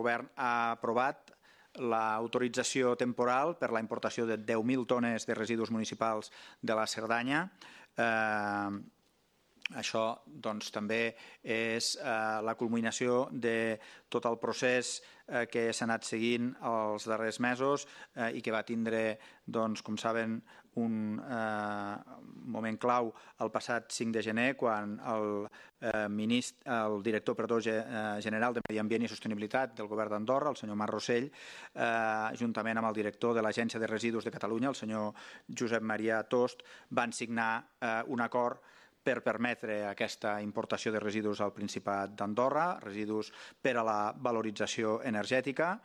govern ha aprovat l'autorització temporal per la importació de 10.000 tones de residus municipals de la Cerdanya. Això també és la culminació de tot el procés que s'ha anat seguint els darrers mesos i que va tindre, com saben, un moment clau el passat 5 de gener quan el director general de Medi Ambient i Sostenibilitat del govern d'Andorra, el senyor Marc Rossell, juntament amb el director de l'Agència de Residus de Catalunya, el senyor Josep Maria Tost, van signar un acord per permetre aquesta importació de residus al Principat d'Andorra, residus per a la valorització energètica.